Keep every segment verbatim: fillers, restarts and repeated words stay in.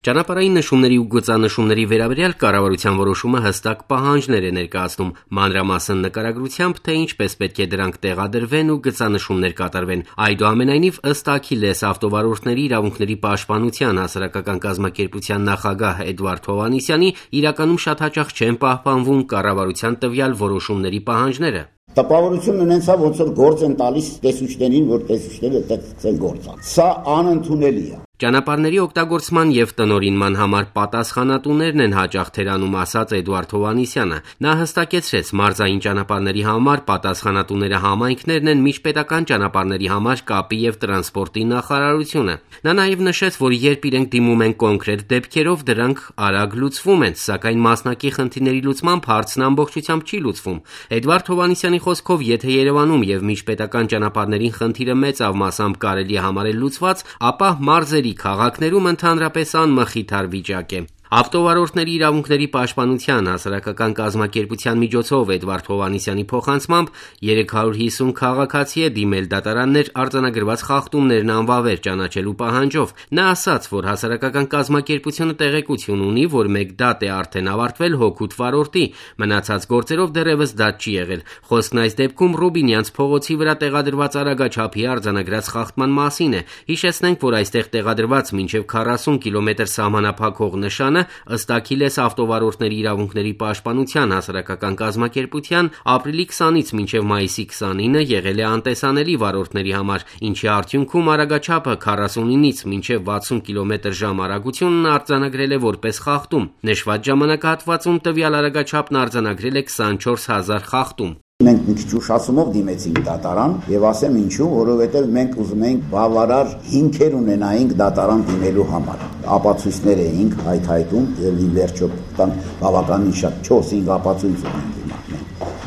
Ճանապարհային նշումների ու գծանշումների վերաբերյալ կառավարության որոշումը հստակ պահանջներ է ներկայացնում, մանրամասն նկարագրությամբ, թե ինչպես պետք է դրանք տեղադրվեն ու գծանշումներ կատարվեն։ Այդուամենայնիվ, ըստ Աքիլես ավտովարորդների իրավունքների պաշտպանության հասարակական կազմակերպության նախագահ Էդվարդ Հովհաննիսյանի, իրականում շատ հաճախ չեն պահպանվում կառավարության տվյալ որոշումների պահանջները։ Տպավորություն ունենցավ, ոնց որ գործ են տալիս տեսուչներին, որ տեսուչները այդտեղ գործ ան։ Սա անընդունելի է։ Ճանապարհների օգտագործման եւ տնօրինման համար պատասխանատուներն են հաճախ թերանում, ասաց Էդվարդ Հովհաննիսյանը։ Նա հստակեցրեց, մարզային ճանապարհների համար պատասխանատուները համայնքներն են, միջպետական ճանապարհների համար կապի եւ տրանսպորտի նախարարությունը։ Նա նաեւ նշեց, որ երբ իրենք դիմում են կոնկրետ դեպքերով, դրանք արագ լուծվում են, սակայն մասնակի խնդիրների լուծմամբ հարցն ամբողջությամբ չի լուծվում։ Էդվարդ Հովհաննիսյանի խոսքով, եթե Երևանում եւ միջպետական ճանապարհներին խնդիրը մեծավ մասամբ կարելի է համարել լուծված, ապա մարզերի քաղաքներում ընդհանրապես անմխիթար վիճակ է։ Ավտովարորդների իրավունքների պաշտպանության հասարակական կազմակերպության միջոցով Էդվարդ Հովհաննիսյանի փոխանցմամբ երեք հարյուր հիսուն քաղաքացի է դիմել դատարաններ արձանագրված խախտումներն անվավեր ճանաչելու պահանջով։ Նա ասաց, որ հասարակական կազմակերպությունը տեղեկություն ունի, որ մեկ դատ է արդեն ավարտվել հօգուտ վարորդի, մնացած գործերով դեռևս դատ չի եղել։ Խոսքն այս դեպքում Ռուբինյանց փողոցի վրա տեղադրված արագաչափի արձանագրած խախտման մասին է։ Հիշեցնենք, որ այստեղ տեղադրված մինչև քառասուն կիլոմետր սահմանափակող նշանը ըստ Աքիլես ավտովարորդների իրավունքների պաշտպանության հասարակական կազմակերպության ապրիլի քսանից մինչև մայիսի քսանինը եղել է անտեսանելի վարորդների համար, ինչի արդյունքում արագաչափը քառասունինից մինչև վաթսուն կիլոմետր ժամ արագությունն արձանագրել է որպես խախտում։ Նշված ժամանակահատվածում տվյալ արագաչափն արձանագրել է քսանչորս հազար խախտում։ Մենք մի քիչ ուշացումով դիմեցինք դատարան եւ ասեմ ինչու, որովհետեւ մենք ուզում էինք բավարար հիմքեր ունենայինք դատարան դիմելու համար։ Ապացույցներ էինք հայթայթում եւ ի վերջո տան բավականին շատ չորս-հինգ ապացույց ունենք հիմա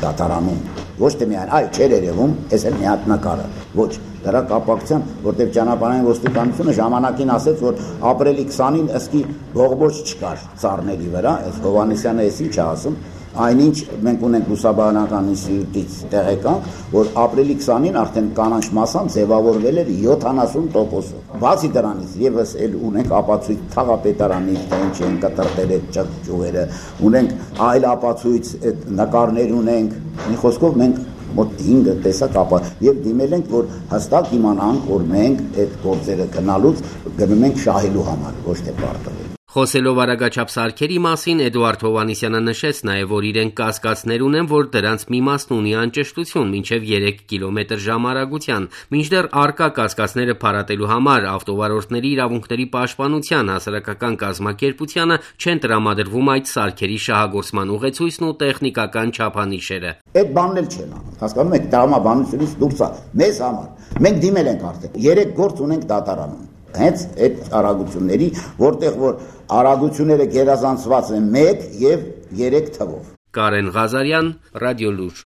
դատարանում։ Ոչ թե միայն այ չէր երևում, այս էլ մի հատ նկարը։ Ոչ, դրա կապակցությամբ, որտեղ ճանապարհային ոստիկանությունը ժամանակին ասեց, որ ապրիլի քսանին ըսկի ողբոջ չկար ծառների վրա, այս Հովհաննիսյանը էս ինչ է ասում։ Այնինչ մենք ունենք լուսաբանական ինստիտուտից տեղեկանք, որ ապրիլի քսանին արդեն կանանչ մասամբ ձևավորվել էր յոթանասուն տոկոսով։ Բացի դրանից եւս էլ ունենք ապացույց թաղապետարանի, թե ինչ են կտրտել այդ ճյուղերը, ունենք այլ ապացույց նկարներ ունենք։ Մի խոսքով մենք մոտ հինգ տեսակ ապա եւ դիմել ենք, որ հստակ իմանանք, որ մենք այդ գործերը գնալուց գնում ենք շահելու համար, ոչ թե պարտվել։ Խոսելով արագաչափ սարքերի մասին, Էդվարդ Հովհաննիսյանը նշեց նաև, որ իրենք կասկածներ ունեն, որ դրանց մի մասն ունի անճշտություն, մինչև երեք կիլոմետր ժամ արագության։ Մինչդեռ առկա կասկածները փարատելու համար ավտովարորդների իրավունքների պաշտպանության հասարակական կազմակերպությանը չեն տրամադրվում այդ սարքերի շահագործման ուղեցույցն ու տեխնիկական չափանիշերը։ Այդ բանն էլ չեն անում։ Հասկանում եք, տրամաբանությունից դուրս է մեզ համար։ Մենք դիմել ենք արդեն։ երեք գործ ունենք դատարանում։ Հենց այդ արագությունների, որտեղ որ արագությունները գերազանցված են մեկ եւ երեք թվով։ Կարեն Ղազարյան, Ռադիոլուր։